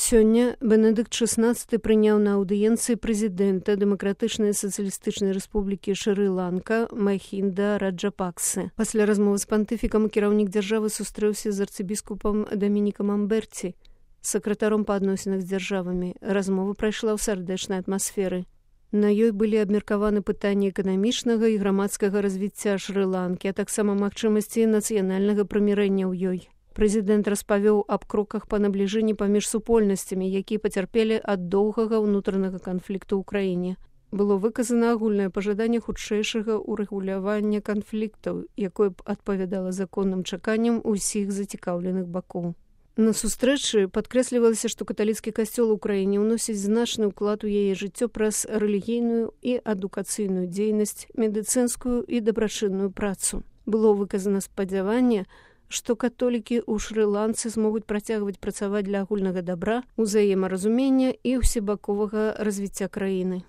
Сёння Бенедыкт XVI прыняў на аўдыенцыі прэзідэнта Дэмакратычнай сацыялістычнай рэспублікі Шры-Ланка Махінда Раджапаксы. Пасля размовы з пантыфікам кіраўнік дзяржавы сустрэўся з арцыбіскупам Дамінікам Амберці, сакратаром па адносінах з дзяржавамі. Размова прайшла ў сардэчнай атмасферы. На ёй былі абмеркаваны пытанні эканамічнага і грамадскага развіцця Шры-Ланкі, а таксама магчымасці нацыянальнага прымірэння ў ёй. Прэзідэнт распавёў аб кроках па набліжэнні паміж супольнасцямі, якія пацярпелі ад доўгага ўнутранага канфлікту ў краіне. Было выказана агульнае пажаданне хутчэйшага ўрэгулявання канфліктаў, якое б адпавядала законным чаканням усіх зацікаўленых бакоў. На сустрэчы падкрэслівалася, што каталіцкі касцёл у краіне ўносіць значны ўклад у яе жыццё праз рэлігійную і адукацыйную дзейнасць, медыцынскую і дабрачынную працу. Было выказана спадзяванне, што католікі ў Шры-Ланцы змогуць працягваць працаваць для агульнага дабра, узаемаразумення і ўсебаковага развіцця краіны.